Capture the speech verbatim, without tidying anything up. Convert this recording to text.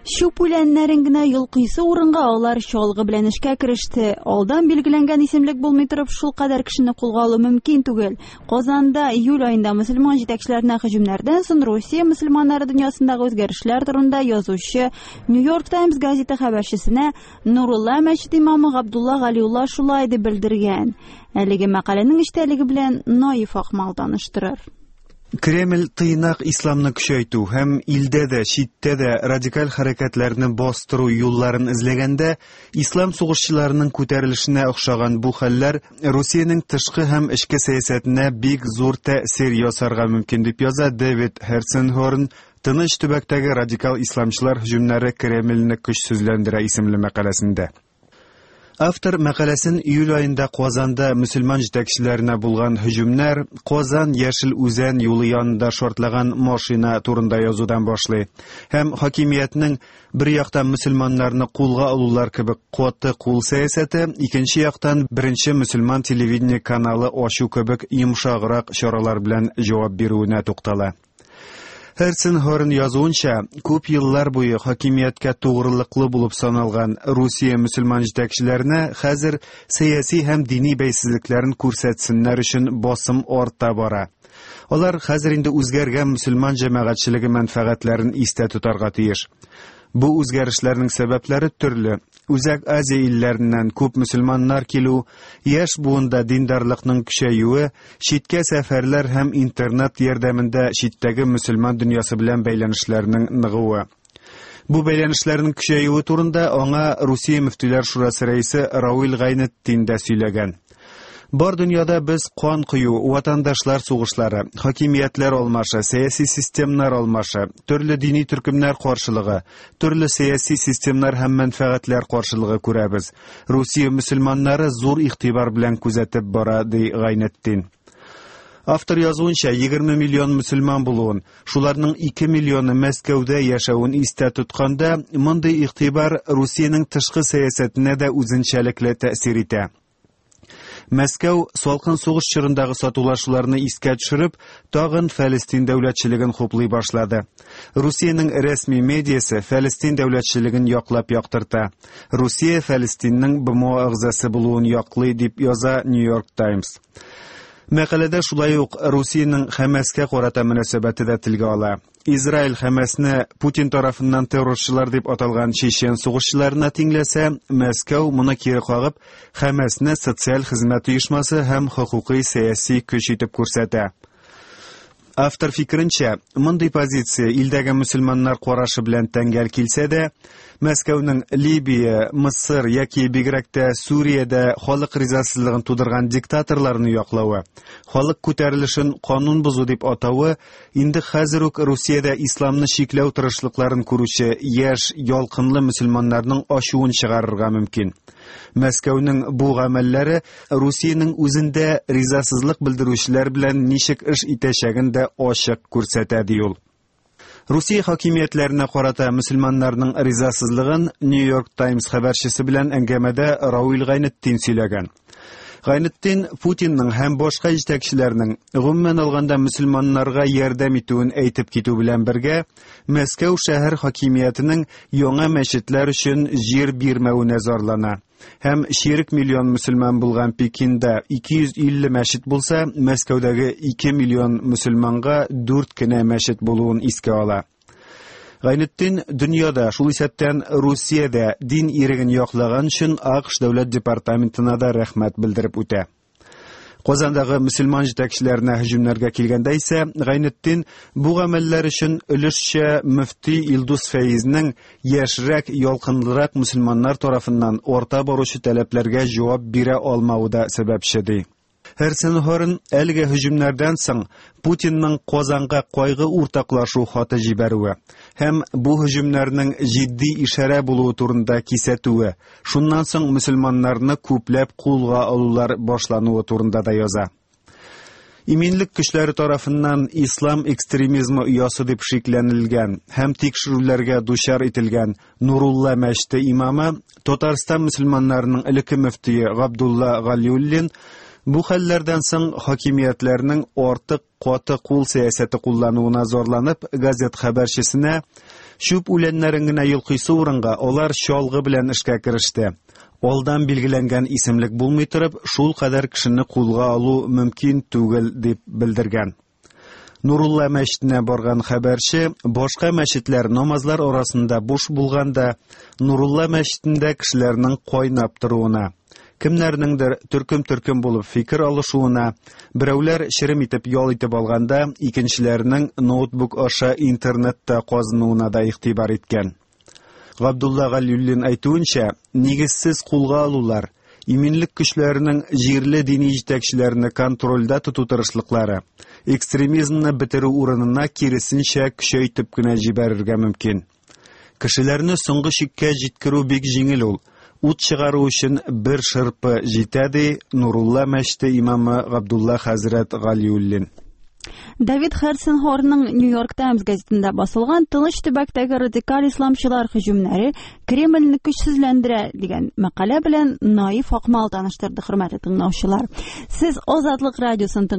Чүп үләннәрен генә йолкыйсы урынга алар чалгы белән эшкә кереште. Алдан билгеләнгән исемлек булмый торып, шулкадәр кешене кулга алу мөмкин түгел. Казанда июль аенда мөселман җитәкчеләренә һөҗүмнәрдән соң Русия мөселманнары дөньясындагы үзгәрешләр турында язучы New York Times газеты хәбәрчесенә Нурулла мәчете имамы Габдулла Галиулла шулай дип белдергән. Әлеге мәкаләнең эчтәлеге белән Наиф Акмал таныштырыр. Кремль тыйнак исламны көчәйтү һәм илдә дә, читтә дә радикаль хәрәкәтләрне бастыру юлларын эзләгәндә, ислам сугышчыларының күтәрелешенә охшаган бу хәлләр Русиянең тышкы һәм эчке сәясәтенә бик зур тәэсир ясарга мөмкин дип яза Дэвид Херценхорн Тыныч төбәктәге радикал исламчылар һөҗүмнәре Кремльне көчсезләндерә исемле мәкаләсендә. Автор мәкаләсен июль аенда Казанда мөселман җитәкчеләренә булган һөҗүмнәр, Казан Яшел Үзән юлы янында шартлаган машина турында язудан башлый. Һәм хакимиятнең бер яктан мөселманнарны кулга алулар кебек каты кул сәясәте, икенче яктан беренче мөселман телевидение каналы ачу кебек йомшаграк чаралар белән җавап бирүенә туктала. Херценхорн язуынча, күп еллар буе хакимияткә тугрылыклы булып саналган Русия мөселман җитәкчеләренә хәзер сәяси һәм дини бәйсезлекләрен күрсәтсеннәр өчен басым арта бара. Алар хәзер инде үзгәргән мөселман җәмәгатьчелеге мәнфәгатьләрен истә тотарга тиеш. Бу үзгәрешләрнең сәбәпләре төрле. Үзәк Азия илләреннән күп мөселманнар килү, яшь буында диндарлыкның көчәюе, читкә сәфәрләр һәм интернет ярдәмендә читтәге мөселман дөньясы белән бәйләнешләрнең ныгуы. Бу бәйләнешләрнең көчәюе турында аңа Русия мөфтиләр шурасы рәисе Равил Гайнетдин дә сөйләгән. Бар дөньяда без кан кою, ватандашлар сугышлары, хакимиятләр алмашы, сәяси системнар алмашы, төрле дини төркемнәр каршылыгы, төрле сәяси системнар һәм мәнфәгатьләр каршылыгы күрәбез. Русия мөселманнары зур игътибар белән күзәтеп бара, ди Гайнетдин. Автор язуынча, егерме миллион мөселман булуын, шуларның ике миллионы Мәскәүдә яшәвен истә тотканда, мондый игътибар Русиянең тышкы сәясәтенә дә үзенчәлекле тәэсир итә. Мәскәү салкын сугыш чорындагы сатулашуларны искә төшереп, тагын Фәлестин дәүләтчелеген хуплый башлады. Русиянең рәсми медиасы Фәлестин дәүләтчелеген яклап яктырта. Русия Фәлестиннең Б М О әгъзасы булуын яклый дип яза New York Times. Мәкаләдә шулай ук Русиянең Хәмәскә карата мөнәсәбәте дә телгә ала. Израиль Хәмәсне Путин тарафыннан террорчылар дип аталган чечен сугышчыларына тиңләсә, Мәскәү моны кире кагып, Хәмәсне социаль хезмәт оешмасы һәм хокукый сәяси көч итеп күрсәтә. Автор фикеренчә, мондый позиция илдәге мөселманнар карашы белән тәңгәл килсә дә, Мәскәүнең Либия, Мысыр яки бигрәк тә Сүриядә халык ризасызлыгын тудырган диктаторларны яклавы, халык күтәрелешен канун бозу дип атавы, инде хәзер үк Русиядә исламны чикләү тырышлыкларын күрүче яшь, ялкынлы мөселманнарның ачуын чыгарырга мөмкин. Мәскәүнең бу гамәлләре Русиянең үзендә ризасызлык белдерүчеләр белән ничек эш итәчәген дә ачык күрсәтә, ди ул. Русия хакимиятләренә карата мөселманнарның ризасызлыгын New York Times хәбәрчесе белән әңгәмәдә Равил Гайнетдин сөйләгән. Гайнетдин Путинның һәм башка җитәкчеләрнең гомумән алганда мөселманнарга ярдәм итүен әйтеп китү белән бергә, Мәскәү шәһәр хакимиятенең яңа мәчетләр өчен җир бирмәвенә зарлана. Һәм чирек миллион мөселман булган Пекинда ике йөз илле мәчет булса, Мәскәүдәге ике миллион мөселманга дүрт кенә мәчет булуын искә ала. Гайнетдин дөньяда, шул исәптән Русиядә дин иреген яклаган өчен А К Ш дәүләт департаментына да рәхмәт белдереп үтә. Казандагы мөселман җитәкчеләренә һөҗүмнәргә килгәндә исә, Гайнетдин бу гамәлләр өчен өлешчә мөфти Илдус Фәизнең яшьрәк, ялкынлырак мөселманнар тарафыннан арта баручы таләпләргә җавап бирә алмавы да сәбәпче, ди. Херценхорн әлеге һөҗүмнәрдән соң Путинның Казанга кайгы уртаклашу хаты җибәрүе һәм бу һөҗүмнәрнең җитди ишарә булуы турында кисәтүе, шуннан соң мөселманнарны күпләп кулга алулар башлануы турында да яза. Иминлек көчләре тарафыннан ислам экстремизмы оясы дип шикләнелгән һәм тикшерүләргә дучар ителгән Нурулла мәчете имамы, Татарстан мөселманнарының элекке мөфтие Габдулла Галиуллин бу хәлләрдән соң хакимиятләрнең артык каты кул сәясәте куллануына зарланып, газет хәбәрчесенә Чүп үләннәрен генә йолкыйсы урынга алар чалгы белән эшкә кереште. Алдан билгеләнгән исемлек булмый торып, шул кадәр кешене кулга алу мөмкин түгел, дип белдергән. Нурулла мәчетенә барган хәбәрче, башка мәчетләр намазлар арасында буш булганда, Нурулла мәчетендә кешеләрнең кайнап торуына, кемнәрнеңдер төркем-төркем булып фикер алышуына, берәүләр черем итеп ял итеп алганда, икенчеләренең ноутбук аша интернетта казынуына да игътибар иткән. Габдулла Галиуллин әйтүенчә, нигезсез кулга алулар, иминлек көчләренең җирле дини җитәкчеләрне контрольдә тоту тырышлыклары, экстремизмны бетерү урынына киресенчә көчәйтеп кенә җибәрергә мөмкин. Кешеләрне соңгы чиккә җиткерү бик җиңел ул. Ут чыгару өчен бер шырпы җитә, ди Нурулла мәчете имамы Габдулла хәзрәт Галиуллин. Давид Херценхорның New York Times газетында басылган «Тыныч төбәктәге радикаль исламчылар һөҗүмнәре Кремльне көчсезләндерә» дигән мәкалә белән Наиф Акмал таныштырды, хөрмәтле тыңлаучылар. Сез Азатлык радиосын